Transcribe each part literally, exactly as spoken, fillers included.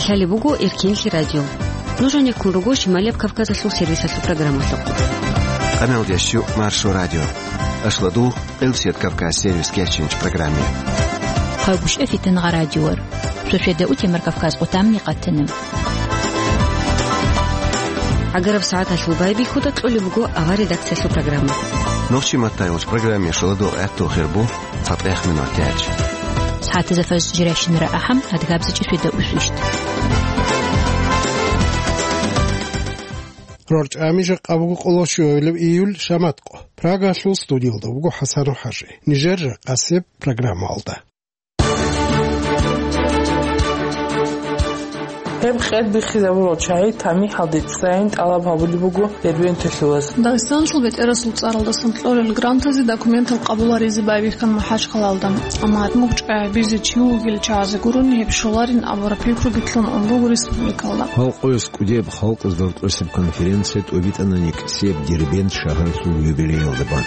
Лъалеб буго Эркенлъи радио. Нуж гьанеккун руго Шималияб Кавказалъул сервисалъул программалъухъ. Къамелдеш щу Маршо радио. Ашладу Элсет Кавказ сервис кечинч программе. Хъагушев Фитангъа радиор. Шошеда утемар Кавказ къутамни къатана. Агараб сагӀаталъул байбихьуда кьолеб буго авар редакциялъул программа. Нохчи маттайгъуч программе шаладу гӀатту хирбу. ЦатӀехъ минут тяч. СагӀатазда фаз жиращинара ахӀам, адгабзичӀи шведа усвищт. РорчӀами жакъа буго къоло щуабилеб июль, шаматкъо. Прагалъул студиялда буго ХӀасан ХӀажи. Нижер жакъасеб программалда. Гьеб къед биххизабурал чагӀи тамихӀалде цӀцӀайин тӀалаб гьабулеб буго Дербенталъулаз. Дагъистаналъул бетӀерасул цӀаралдасан кьолел грантазе документал къабуларизе байбихьан МахӀачхъалаялда. Амма гьадин гьеб чӀвай гьабизе чи вугилан чагӀазе гурони гьеб щоларин абураб пикруги лъун ун буго республикалда. Халкъояс кӀудияб халкъазда рокьосеб конференция тӀобитӀана некӀсияб Дербент шагьаралъул юбилеялда бан.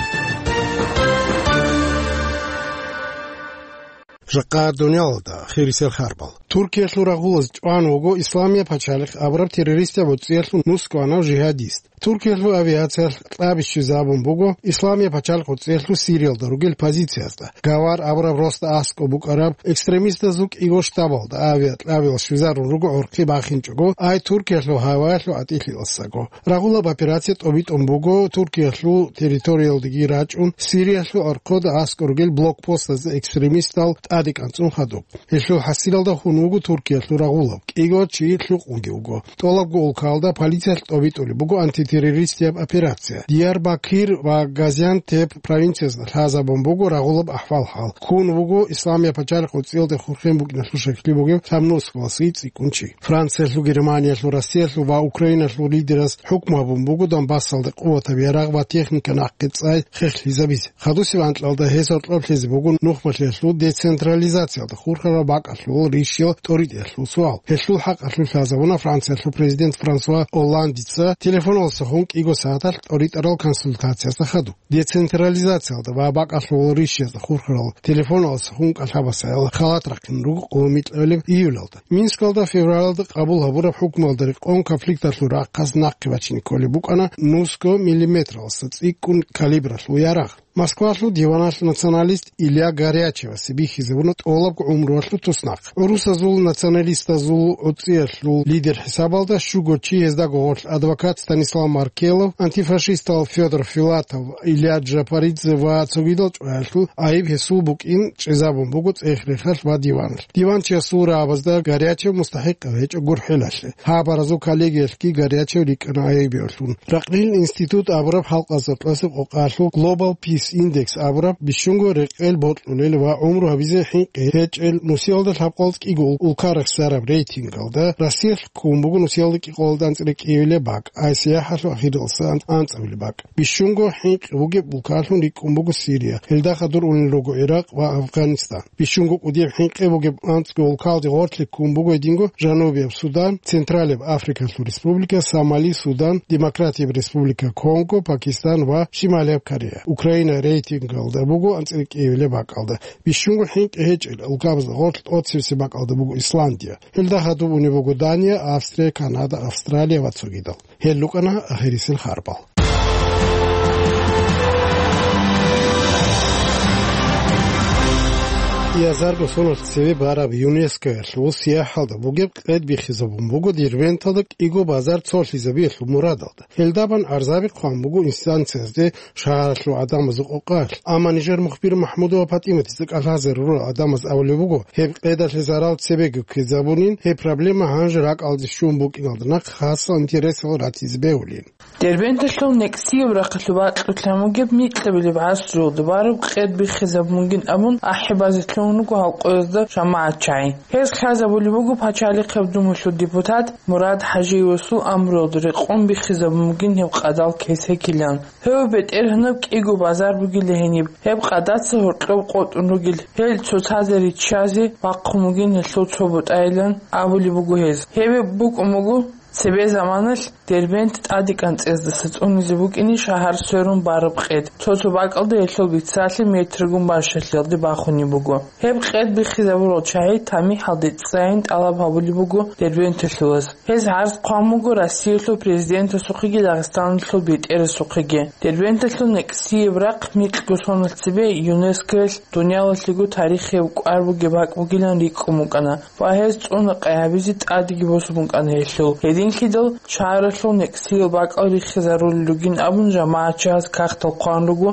Жакъа дуниялалда хирисел харбал. Туркиялъул рагъулаз чӀван вуго Исламияб пачалихъ абураб террористияб гӀуцӀиялъул нусгоанав жигьадист. Туркиялъул авиациялъ кьаби щвезабун буго Исламияб пачалихъ гӀуцӀиялъул Сириялда ругел позициязда. Гавар абураб росда аскӀоб букӀараб экстремистазул кӀиго штабалда авиакьабил щвезарун руго гӀорхъи бахинчӀого, ай Туркиялъул гьаваялъул гӀатӀилъиялдасаго. Рагъулаб операция тӀобитӀун буго Туркиялъул территориялдеги рачӀун, Сириялъул гӀорхъода аскӀор ругел блокпостазда экстремистал тӀаде кӀанцӀун хадуб. Гьелъул хӀасилалда хун вуго Туркиялъул рагъулаб, кӀиго чи лъукъунги вуго. ТӀолабго улкалда полициялъ тӀобитӀулеб буго антитеррористияб операция. Диярбакир ва Газиантеп провинциязда лъазабун буго рагъулаб ахӀвал-хӀал. Ккун вуго Исламияб пачалихъ гӀуцӀиялде хурхен букӀиналъул щеклъи бугев лъабнусго васги цӀикӀкӀун чи. Франциялъул, Германиялъул, Россиялъул ва Украиналъул лидераз хӀукму гьабун буго Донбассалда къуватаб ярагъ ва техника нахъе цӀай хехлъизабизе. Хадусеб анкьалда гьез гьоркьоб лъезе буго нухмалъиялъул децентрализациялда хурхарал бакӀалъул ришиял тӀоритӀиялъул суал. Гьелъул хӀакъалъулъ лъазабуна Франциялъул президент Франсуа Олландица телефоналдаса хун кӀиго сагӀаталъ тӀоритӀарал консультациязда хадуб. Децентрализациялда ва бакӀалъул ришиязда хурхарал телефоналдаса хун кӀалъабасаял халат рахъин руго къо-, микьабилеб июлалда. Минскалда февралалда къабул гьабураб хӀукмуялда рекъон конфликталъул рахъалъ нахъе бачине кколеб букӀана нусго миллиметралдаса цӀикӀкӀун калибралъул ярагъ. Москвалъул диваналъ националист Илья Горячевасе бихьизабуна тӀолабго гӀумруялъул туснахъ. ГӀурусазул националистазул гӀуцӀиялъул лидер хӀисабалда щуго чи, гьездаго гъорлъ адвокат Станислав Маркелов, антифашистал Федор Филатов, Илья Джапаридзе ва цогидал чӀваялъул гӀайиб гьесул букӀин чӀезабун буго цӀех-рехалъ ва диваналъ. Диванчиясул рагӀабазда Горячев мустахӀикъав гьечӀо гурхӀелалъе. Хабаразул коллегиялъги Горячев рикӀкӀана гӀайибиялъун. Ракълил институт абураб халкъазда кьасеб къокъалъул Global Peace Index абураб бищунго рекъел бокьулел ва гӀумру гьабизе хӀинкъи гьечӀел нусиялда лъабкъоялда кӀиго ул-, улка рехсараб рейтингалда Россиялъ ккун буго нусиялда кӀикъоялда анцӀила кӀиявилеб бакӀ, ай сияхӀалъул ахиралдаса ан-, анцӀабилеб бакӀ. Бищунго хӀинкъи бугеб улкалъун рикӀкӀун буго Сирия, гьелда хадур унел руго Иракъ ва Афганистан. Бищунго кӀудияб хӀинкъи бугеб анцӀго улкалде гъорлъе ккун буго гьединго Жанубияб Судан, Централияб Африкалъул Республика, Сомали, Судан, Демократияб Республика Конго, Пакистан ва Шималияб Корея. Украина рейтингалда буго анцӀила кӀиявилеб бакӀалда. Бищунго хӀинкъи гьечӀел улкабазда гъорлъ тӀоцебесеб бакӀалда буго Исландия. Гьелда хадуб унеб буго Дания, Австрия, Канада, Австралия ва цогидал. Гьел рукӀана ахирисел харбал. Язарго соналъ цеве бараб ЮНЕСКОялъул сияхӀалда бугеб къед биххизабун буго Дербенталда кӀиго базар цолъизабиялъул мурадалда. Гьелдабан гӀарзаби хъван буго инстанциязде шагьаралъул гӀадамазул къокъалъ. Амма нижер мухбир МахӀмудова ПатӀиматица кӀалъазе рурал гӀадамаз абулеб буго, гьеб къедалъе зарал цебеги ккезабунин, гьеб проблема гьанже ракӀалде щун букӀиналда нахъ хасал интересал ратизе бегьулин. Дербенталъул некӀсияб рахъалъуб бакьулъан бугеб микьабилеб гӀасруялда бараб къед биххизабунгин абун ахӀи базе лъугьун руго гьал къоязда жамагӀат чагӀи. Гьез лъазабулеб буго Пачалихъаб Думалъул депутат Мурад ХӀажиевасул амруялда рекъон биххизабун бугин гьеб къадал кесекилан. Гьев бетӀергьанаб кӀиго базар бугила гьениб, гьеб къадаца гьоркьоб къотӀун ругел, гьел цоцазда риччазе бахъун бугин гьелъул цо бутӀайилан абулеб буго гьез. Гьеб букӀун буго Цебе заманалъ Дербент тӀаде кӀанцӀездаса цӀунизе букӀине шагьар сверун бараб къед. Цо-цо бакӀалда гьелъул биццалъи метргун бащалъиялде бахунеб буго. Гьеб къед биххизабурал чагӀи тамихӀалде цӀцӀайин тӀалаб гьабулеб буго Дербенталъулаз. Гьез гӀарз хъван буго Россиялъул президентасухъеги Дагъистаналъул бетӀерасухъеги. Дербенталъул некӀсияб рахъ микьго соналъ цебе ЮНЕСКОялъ дуниялалъего тарихияб кӀвар бугеб бакӀ бугилан рикӀкӀун букӀана ва гьез цӀуна къай гьабизе тӀадеги босун букӀана гьелъул. Гьединлъидал шагьаралъул некӀсиял бакӀал риххизарулел ругин абун жамагӀатчияс кагътал хъван руго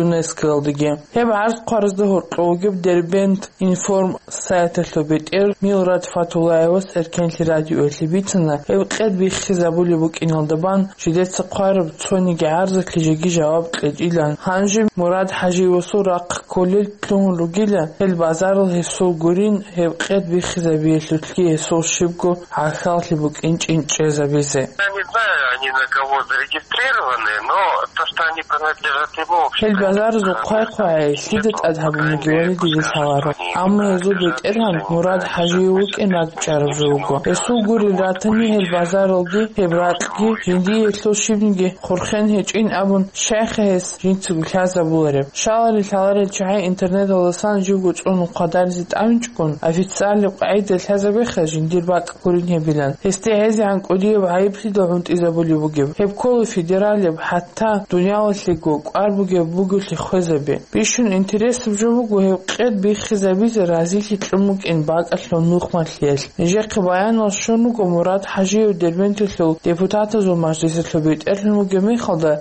ЮНЕСКОялдаги. Гьеб гӀарз хъваразда гьоркьов вугеб Дербент Информ сайталъул бетӀер Милрат Фатуллаевас Эркенлъи радиоялъе бицана, гьеб къед биххизабулеб букӀиналда бан жидеца хъвараб цониги гӀарзалъе жеги жаваб кьечӀилан. Гьанже Мурад ХӀажиевасул рахъ кколел лъугьун ругила, гьел базарал гьесул гурин, гьеб къед биххизабиялъулъги гьесул щибго гӀахьаллъи букӀин чӀинчӀезабизе. Я не знаю, они на кого зарегистрированы, но то, что они принадлежат ему, в общем-то... Гьел базарзул хъвай-хъвай лъида тӀад гьабунаги вали дида лъаларо. Амма гьезул бетӀергьан Мурад ХӀажиев вукӀин ракӀчӀараб жо вуго. Гьесул гурел ратани гьел базаралги гьеб ракьги жиндие гьелъул щибниги хурхен гьечӀин абун, щайха гьес жинцаго лъазабулареб. Щаларел-лъаларел чагӀи интернеталдасан живго цӀунун хъвадаризе тӀамичӀгун, официальный къагӀида лъазабеха жиндир бакӀ гурин гьебилан. Гьесде гьезегӀан кӀудияб гӀайиблъидал гӀунтӀизабулеб бугеб. Гьеб ккола федералияб, хӀатта дуниялалъего кӀвар бугеб бугелъи хвезаби. Бищун интересаб жо буго гьеб къед биххизабизе разилъи кьун букӀин бакӀалъул нухмалъиялъ. Нижехъе баянал щун руго Мурад ХӀажиев Дербенталъул депутатазул мажлисалъул бетӀерлъун вугеб мехалда,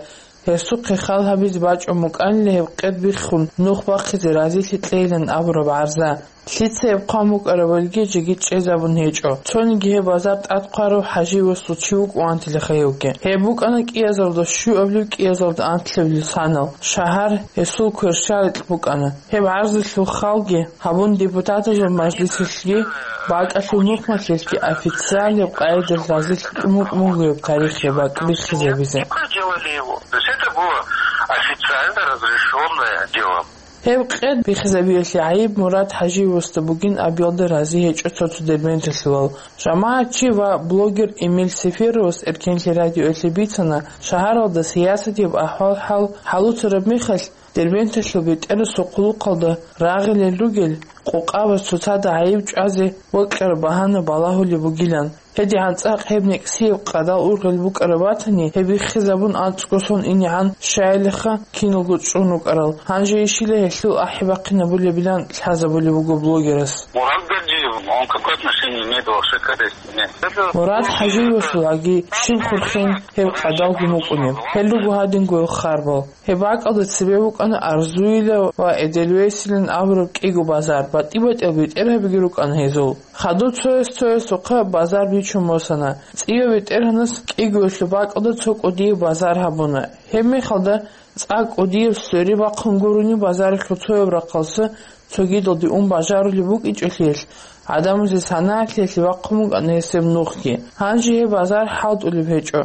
гьесухъе хал гьабизе бачӀун букӀанила гьеб къед биххун нух бахъизе разилъи кьейилан абураб гӀарза. Лъица гьеб хъван букӀарабалги жеги чӀезабун гьечӀо. Цониги гьеб базар тӀад хъварав ХӀажиевасул чи вукӀун антилаха гьевги. Гьеб букӀана кӀиазарда щуаблъи кӀиазарда анлъабилеб санал. Шагьар гьесул кверщаликь букӀана. Гьеб гӀарзалъул халги гьабун, депутатазул мажлисалъги бакӀалъул нухмалъиялъги официальный къагӀидалъ разилъ кьун букӀун буго гьеб тарихияб бакӀ биххизабизе. Проделали его. То есть это было официально разрешённое дело. Гьеб къед биххизабиялъе гӀайиб Мурад ХӀажиевасда бугин абиялда рази гьечӀо цо-цо дербенталъулал. ЖамагӀатчи ва блогер Эмиль Сеферовас Эркенлъи радиоялъе бицана, шагьаралда сиясатияб ахӀвал-хӀал хӀалуцараб мехалъ, Дербенталъул бетӀерасул хъулухъалда рагъилел ругел къокъабаз цоцазда гӀайиб чӀвазе бокьараб багьана балагьулеб бугилан. ГьедигӀан цӀакъ гьеб некӀсияб къадал ургъел букӀараб батани, гьеб биххизабун анцӀго сон инегӀан щайилаха киналго чӀун рукӀарал. Гьанже ишила гьелъул ахӀи бахъинабулебилан лъазабулеб буго блогерас. Мурат Гаджиев, он какое отношение имеет вообще к этой стене? Мурад ХӀажиевасул аги щиб хурхен гьеб къадалги мукӀунеб. Гьел руго гьадинго хъарбал. Гьеб бакӀалда цебе букӀана Арзуила ва Эдельвейсилан абураб кӀиго базар, батӀи-батӀиял бетӀергьабиги рукӀана гьезул. Хадуб цояс-цоясухъа базар бичун босана. ЦӀияв бетӀергьанас кӀигоялъул бакӀалда цо кӀудияб базар гьабуна. Гьеб мехалда цӀакъ кӀудияб свериб бахъун гурони, базаралъул цояб рахъалъа цогидалде ун бажарулеб букӀинчӀелъиялъ, гӀадамазе санагӀалъиялъе бахъун букӀана гьесеб нухги. Гьанже гьеб базар хӀалтӀулеб гьечӀо.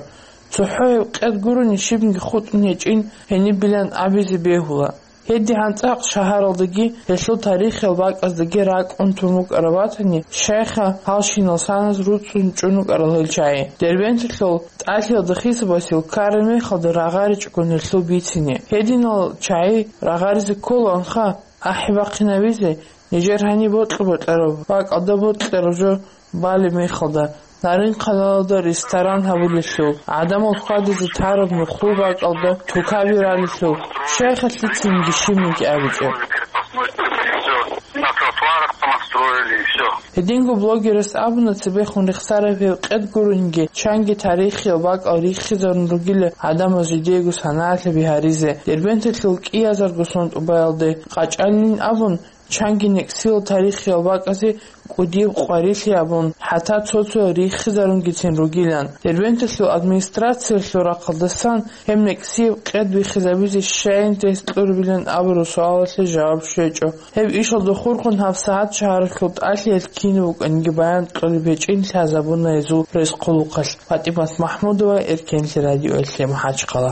ЦохӀо гьеб къед гурони щибниги хутӀун гьечӀин гьенибилан абизе бегьула. ГьедигӀан цӀакъ шагьаралдаги гьелъул тарихиял бакӀаздаги ракӀ унтун рукӀараб батани, щайха гьалщинал саназ руцӀцӀун чӀун рукӀарал гьел чагӀи. Дербенталъул тӀалъиялда хисабасел ккараб мехалда рагъаричӀгун гьелъул бицине. Гьединал чагӀи рагъаризе кколаанха ахӀи бахъинабизе, нижер гьаниб бокьа-бокьараб бакӀалда бокьараб жо балеб мехалда, Нарин-къаналалда ресторан гьабулелъул, гӀадамал хьвадизе тараб нухлул бакӀалда тукаби ралелъул, щайха лъицаниги щибниги абичӀеб. На тротуарах понастроили, и всё. Гьединго блогерас абуна, цебехун рехсараб гьеб къед гурониги, чанги тарихиял бакӀал риххизарун ругила гӀадамаз жидеего санагӀалъаби гьаризе. Дербенталъул кӀиязарго сон тӀубаялде къачӀалин абун, чанги некӀсиял тарихиял бакӀазе кӀудияб къварилъи абун, хӀатта цо-цо риххизарунгицин ругилан. Дербенталъул администрациялъул рахъалдасан гьеб некӀсияб къед биххизабизе щайин тест кьурабилан абураб суалалъе жаваб щвечӀо. Гьеб ишалда хурхун гьабсагӀат шагьаралъул тӀалъиялъ кинаб букӀаниги баян кьолеб гьечӀин лъазабуна гьезул рес-хъулухъалъ. ПатӀимат МахӀмудова, Эркенлъи радиоялъе, МахӀачхъала.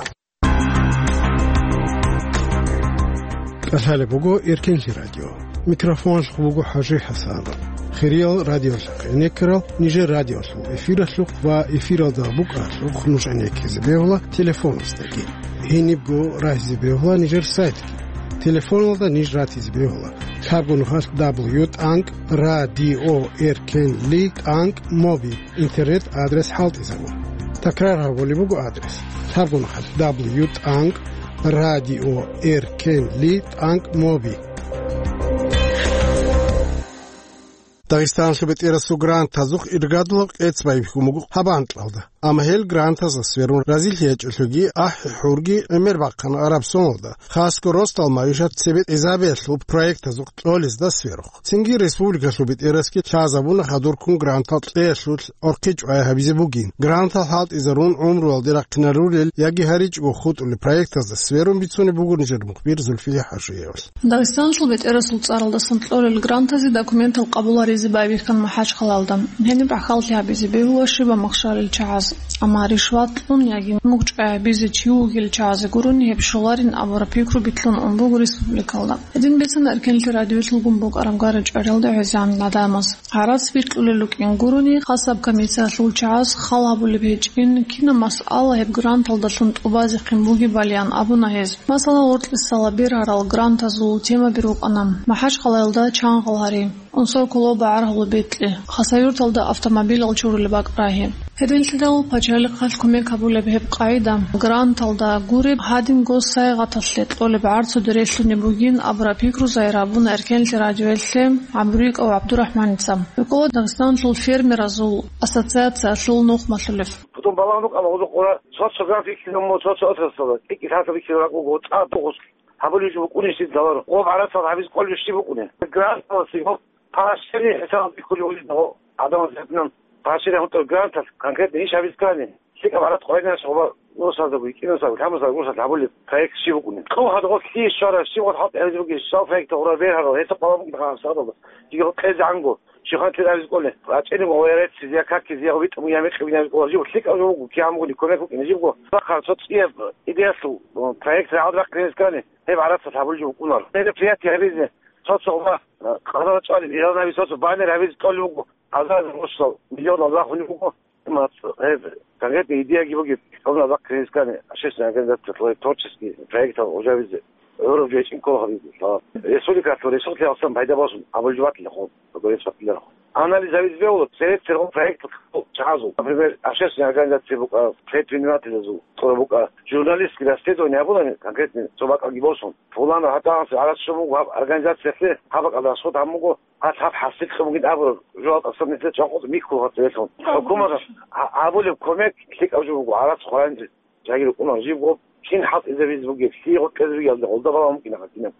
ТӀалъалеб буго Эркенлъи радио. Микрофоналъухъ буго ХӀажи ХӀасанов. Хириял радиолъухъ гӀенеккарал нижер радиолъул эфиралъухъ ва эфиралда букӀаралъухъ нуж гӀенеккизе бегьула телефоназдаги. Гьенибго рагьизе бегьула нижер сайтги. Телефоналда ниж ратизе бегьула: лъабго нухалъ дабл ю тӀанкӀ радио эркенли тӀанкӀ моби интернет-адрес хӀалтӀизабун. Такрар гьабулеб буго адрес: лъабго нухалъ дабл ю тӀанкӀ радио эркенли тӀанкӀ моби. Дагъистаналъул бетӀерасул грантазухъ иргадулаб кьец байбихьун буго гьаб анкьалда. Амма гьел грантазда сверун разилъи гьечӀолъиги, ахӀи-хӀурги гӀемер бахъана араб соналда, хасго росдал магӀишат цебетӀезабиялъул проектазухъ кьолезда сверухъ. Цинги республикалъул бетӀерасги лъазабуна хадурккун грантал кьеялъул гӀорхъи чӀвай гьабизе бугин. Грантал хӀалтӀизарун гӀумруялде рахъинарулел яги гьаричӀого хутӀулел проектазда сверун бицунеб буго нижер мухбир Зульфия Хажиевал. Дагъистаналъул бетӀерасул цӀаралдасан кьолел грантазе документал къабул гьаризе байбихьан МахӀачхъалаялда. Гьениб гӀахьаллъи гьабизе бегьула щибаб махщалил чагӀаз. Амма ришват кьун яги мугъ чӀвай гьабизе чи вугил чагӀазе гурони гьеб щоларин абураб пикру битлъун ун буго республикалда. Гьедин бицана Эркенлъи радиоялъулгун букӀараб гара-чӀвариялда гӀезегӀан гӀадамаз. ГӀарац бикьулел рукӀин гурони, хасаб комиссиялъул чагӀаз хал гьабулеб гьечӀин, кинаб масъала гьеб гранталдалъун тӀубазехъин бугебалиан абуна гьез. Масала, гъоркьисала бергьарал грантазул темаби рукӀана: МахӀачхъалаялда чангъал гьари, унсал кулуба гӀаргьулеб бекьи, Хасавюрталда автомобилал чурулеб бакӀ рагьи. Гьединлъидал пачалихъалъ кумек гьабулеб гьеб къагӀида, гранталда гуреб, гьадинго сайгъаталъе кьолеб гӀарцуде релълъунеб бугин абураб пикру загьир гьабуна Эркенлъи радиоялъе ГӀабдурикӀов ГӀабдурахӀманица. РукӀула Дагъистаналъул фермеразул ассоциациялъул нухмалъулев. Потом балагьун букӀана гъозухъ гъура, цо-цо грантал бихьизабун, цо-цо отраслалда, кӀикӀи лъалъа бихьизабураб буго, цӀакъ бугъус гьабулеб жо букӀунищ дидаларо. Гъоб гӀарацал гьабиз кӀолеб щиб букӀунеб? Гранталасе гьоб Къаршери хӀисаб бихьулев гьединго гӀадамаз гьебинан, къаршери гьунтӀа гранталъ конкретно иш гьабиз ккани, лъикӀаб гӀарацӀ къвайдинаш гъоба нусаздаго, кӀинусаздаго, лъабмусаздаго, нусазда гьабулеб проект щиб букӀунеб? Кьун гьадгъо лъие щвара, щиб гъо хӀалтӀи гьабизе бугеб, щал проект гъура бергьарал, гьесухъ балагьун букӀина гьабсагӀаталда. Диги гъо кьезе гӀанго, щихъан тир абиз кӀоле, рачӀинего ва ярецци, я какизе, я витӀун, я мекъи винабиз кӀола, жив лъикӀаб жо буго, кигӀан бугони, кумек букӀине жибго. Бахъа цо цӀияб идеялъул, э, проект рагӀад бахъине скани, гьеб гӀарацалъ гьабулеб жо букӀунаро. Мероприятие гьабизе, цо-цо ва, э, къарар чӀвалеб, илгьанабиз цо-цо баннер гьабизе кьолеб буго, азар-азар росдал, миллионал рахунеб буго. Имац, гьеб, конкретно идеяги бугеб, гьабуна бахъине скани, общественная организация, твой творческий проектал гъужабизе. ГӀураб жо гьечӀин ккола гьабизе, лъала. Республикалъул ресурсалъе алсан пайда босун, абулеб батилахъо, гуреб батиларахъо. Анализ гьабизе бегьула, церет-церго проект чагӀазул. Например, общественная организация букӀа, предпринимателазул, тӀура букӀа, журналистский расследование гьабулани, конкретно цо бакӀалги босун. Пуланав гьатӀаанси гӀарац щун буго гьаб организациялъе, гьаб бакӀалда расход гьабун буго, гьалъ гьаб хӀасил кьун бугин абураб жо гьал тӀасан нилъер чӀакъуца михьуларо цевелъун. ХӀукуматалъ гьа-, гьабулеб кумек лъикӀаб жо буго, гӀарац хъварани жагьил рукӀунар жибго, кин хӀалтӀизабизе бугеб, лъие гъоркьезе бугеб, гъолда балагьун букӀина гьадинаб.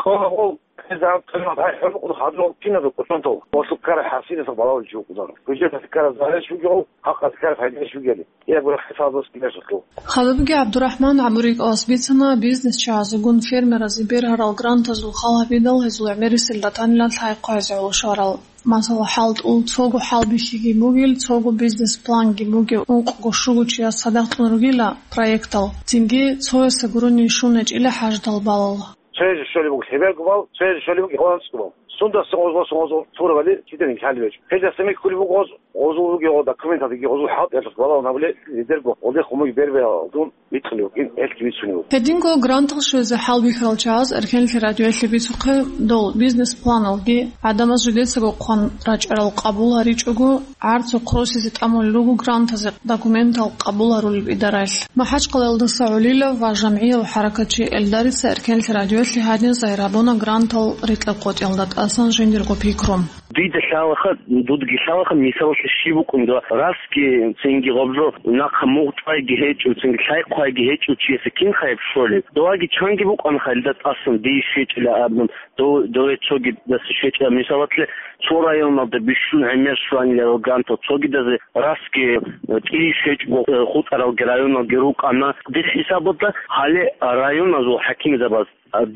Кьола гъол, кьезан кьимат гьай хӀурмукъун хадур киназул кӀочон тол. Гъолъул ккараб хӀасиласул балагьулев чи вукӀунаро. Гьужеялъе ккараб заралищ вугев, хӀакъалъе ккараб пайдалищ вугели. Киябго хӀисабалъ ккелъулъул. Хадубги ГӀабдурахӀман ГӀабурикӀовас бицана бизнес чагӀазегун фермеразе бергьарал грантазул хал гьабидал гьезул гӀемерисел ратанилан лъай-хъвазе гӀоло щварал. Масала, хӀалтӀул, цого хӀалбихьиги бугел, цого бизнес-планги бугев ункъго-щуго чияс цадахъ кьун ругила проектал, цинги цоясда гурони щун гьечӀила хӀажатал балал. Цоязе щолеб буго лъеберго бал, цоязе щолеб буго гъозул анцӀго бал. Сундасан гъоз босун гъозул турабали киданиги лъалеб гьечӀо. Гьелдаса михьулеб буго гъоз, гъозул ругел гъо документалдеги гъозул хӀалтӀиялъухъ балагьун гьабулеб лидерго, гъолдехун бугеб бербералдун бикьулев вукӀин, гьелъги бицунев вукӀин. Гьединго грантал щвезе хӀалбихьарал чагӀаз Эркенлъи радиоялъе бицухъе дол бизнес-планалги, гӀадамаз жидецаго хъван рачӀарал къабул гьаричӀого, гӀарцухъ росизе тӀамулел руго грантазе документал къабул гьарулеб идараялъ. МахӀачхъалаялдаса гӀолилав ва жамгӀияв хӀаракатчи Эльдарица Эркенлъи радиоялъе гьадин загьир гьабуна грантал рикьа-къотӀиялда тӀасан жиндирго пикру. Дида лъалаха, дудги лъалаха, мисалалъе щиб букӀун дова расги цинги гъобжо нахъа мугъ чӀвайги гьечӀо, цинги лъай-хъвайги гьечӀо чиясе кин хайб щолеб? Доваги чанги букӀана хайилда тӀасан дие щвечӀила абун, дов-, дове цогидаса щвечӀила. Мисалалъе, цо районалда бищун гӀемер щваниларал грантал цогидазе расги, э, кӀие щвечӀого, э, хутӀаралги районалги рукӀана. Дир хӀисабалда гьале районазул хӀакимзабаз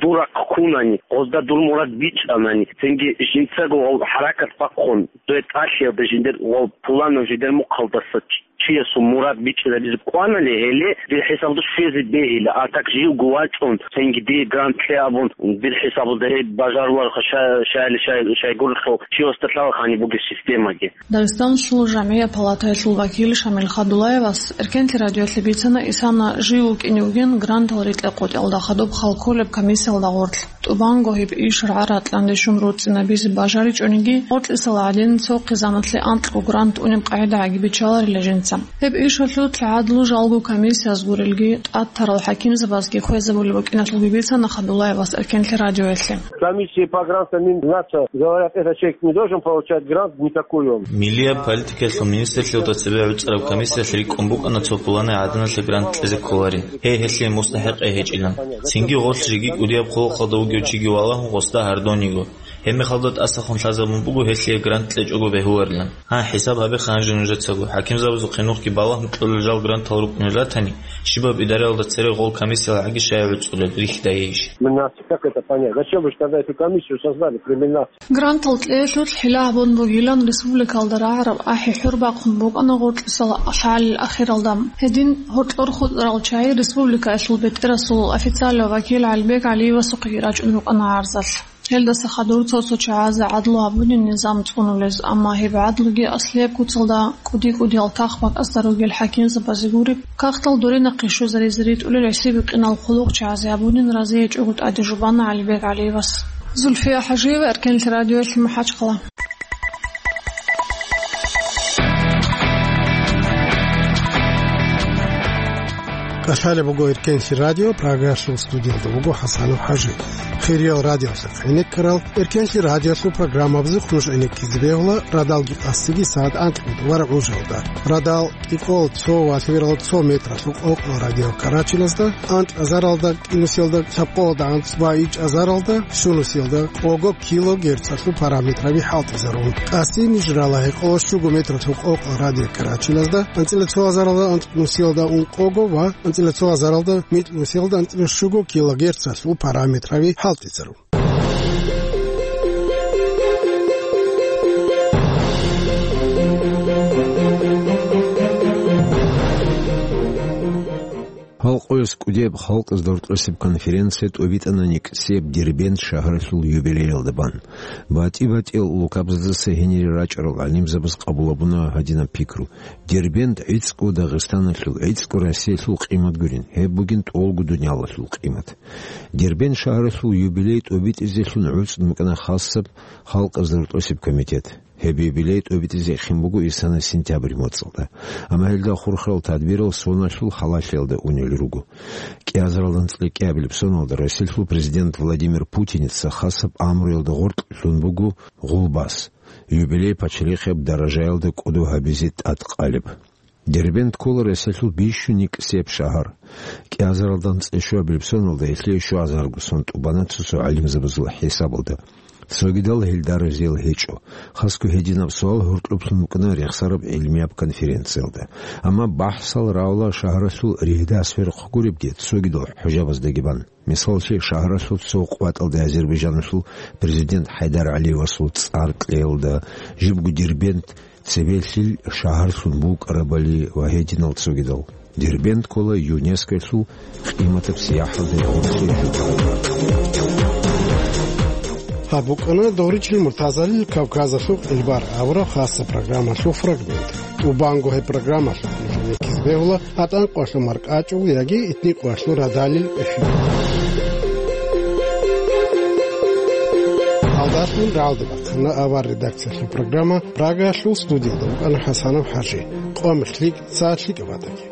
дурахъ ккунани, гъозда дур мурад бичӀчӀанани, цинги жинцаго гъов хӀаракат бахъун, дуе тӀалъиялда жиндир гъов пуланав жидер мухъалдаса ч-, чиясул мурад бичӀчӀизабизе кӀванали, гьеле дир хӀисабалда щвезе бегьила, а так живго вачӀун, цинги дие грант кье абун, дир хӀисабалда гьеб бажаруларха, ша-, шайили шай-, шайгурелъул чи васда лъала гьаниб бугеб системаги. Дагъистан щула жамгӀияб палатаялъул вакил Шамил Хадулаевас Эркенлъи радиоялъе бицана, исана жив вукӀине вугин грантал рикьа-къотӀиялда хадуб хал кколеб комиссиялда гъорлъ. ТӀубанго гьеб иш рагӀа-ракьанде щун руцӀцӀинабизе бажаричӀониги, гъоркьисал гӀадин цо хъизаналъе анкьго грант унеб къагӀида гӀагибичаларила жинца. Гьеб ишалъулъ гӀадлу жалго комиссияз гурелги, тӀад тарал хӀакимзабазги хвезабулеб букӀиналъулги бицана Хадулаевас Эркенлъи радиоялъе. Комиссии по грантам Миннаца говорят, этот человек не должен получать грант никакой он. Миллияб политикаялъул министрлъиялда цебе гӀуцӀараб комиссиялъ рикӀкӀун букӀана цо пуланай гӀаданалъе грант кьезе кколарин. Гьей, гьелъие мустахӀикъей гьечӀилан. Цинги гъорлъ жеги кӀудияб хъулухъалда вугев чиги валагьун гъосда гьардониго. Гьебмехалда тӀасахун лъазабун буго гьелъие грант кьечӀого бегьуларилан. Гьа, хӀисаб гьабе ханжи нужецаго, хӀакимзабазухъе нухги балагьун кьолел жал грантал рукӀунел ратани, щибаб идараялда цере гъол комиссиял гӀаги шай гӀуцӀулел рихьдайейищ? Как это понять? Зачем вы же тогда эту комиссию создали при Миннаце? Грантал кьеялъулъ хӀила гьабун бугилан республикалда рагӀараб ахӀи-хӀур бахъун букӀана гъоркьисал хӀалил ахиралда. Гьедин гьоркьор хутӀарал чагӀи республикаялъул бетӀерасул официалав вакил ГӀалибек ГӀалиевасухъеги рачӀун рукӀана гӀарзалъ. Гьелдаса хадур цо-цо чагӀазе гӀадлу гьабунин низам цӀунулез, амма гьеб гӀадлуги аслияб куцалда кӀуди-кӀудиял тахбакӀазда ругел хӀакимзабазе гуреб, кагътал дуринахъе щвезаризе ритӀулел гӀисибикъинал хъулухъчагӀазе гьабунин разиячӀого тӀаде жубана ГӀалибек ГӀалиевас. Зульфия ХӀажиева, Эркенлъи радиоялъе, МахӀачхъала. КӀалъалеб буго Эркенлъи радио, Прагаялъул студиялда вуго ХӀасанов ХӀажи. Хириял радиоялъухъ гӀенеккарал, Эркенлъи радиоялъул программабазухъ нуж гӀенеккизе бегьула радалги къасиги сагӀат анкьго ва гӀужалда. Радал кӀикъоялда цо ва лъабералда цо метралъул къокъала радиокарачиназда, анкьазаралда, кӀинусиялда, лъабкъоялда анцӀ ва ичӀазаралда, щунусиялда къого килогерцалъул параметраби хӀалтӀизарун. Къасин ниж рала гьекъоялда щуго метралъул къокъала радиокарачиназда, анцӀила цо азаралда анцӀнусиялда ункъого ва анцӀила цо азаралда микьнусиялда анцӀила щуго килогерцалъул параметраби хӀалтӀизарун. Гьал къоялъ кӀудияб халкъазда рокьосеб конференция тӀобитӀана нилъер Дербент шагьаралъул юбилеялда бан. БатӀи-батӀиял улкабаздаса гьенире рачӀарал гӀалимзабаз къабул гьабуна гьадинаб пикру: Дербент гӀицӀго Дагъистаналъул, гӀицӀго Россиялъул къимат гурин, гьеб бугин тӀолго дуниялалъул къимат. Дербент шагьаралъул юбилей тӀобитӀизелъун гӀуцӀун букӀана хасаб халкъазда рокьосеб комитет. Гьеб юбилей тӀобитӀизе эхин буго исана сентябрь моцӀалда. Амма гьелда хурхарал тадбирал соналъул халалъиялда унел руго. КӀиазаралда анцӀила кӀиабилеб соналда Россиялъул президент Владимир Путиница хасаб амруялда гъоркь лъун буго гъулбас, юбилей пачалихъияб даражаялда кӀодо гьабизе тӀадкъалеб. Дербент ккола Россиялъул бищун нилъер шагьар. КӀиазаралда анцӀила щуабилеб соналда гьелъие щуазарго сон тӀубана цо-цо гӀалимзабазул хӀисабалда. Цогидал гьелда разиял гьечӀо. Хасго гьединаб суал гьоркьоблъун букӀана рехсараб гӀилмияб конференциялда. Амма бахӀсал равла шагьаралъул ригьдас ферхъ гуребги цогидал хӀужабаздаги бан. Мисаллъи, шагьаралъул цо къватӀалда Азербайджаналъул президент ХӀайдар ГӀалиевасул цӀар кьеялда, жибго Дербент цебелъил шагьарлъун букӀарабали ва гьединал цогидал. Дербент ккола ЮНЕСКОялъул къиматаб сияхӀалда гьоркье. Гьаб букӀана Доричил Муртазалил Кавказалъул къилбар абураб хасаб программалъул фрагмент. ТӀубанго гьеб программалъухъ нуж гӀенеккизе бегьула ГьатӀан къоялъул маркӀачӀул яги Итни къоялъул радалил эфир. Гьалдалъун рагӀалде бахъана авар редакциялъул программа, Прагаялъул студиялда вукӀана ХӀасанов ХӀажи. Къо-мех лъикӀ, сагӀат лъикӀаб батаги.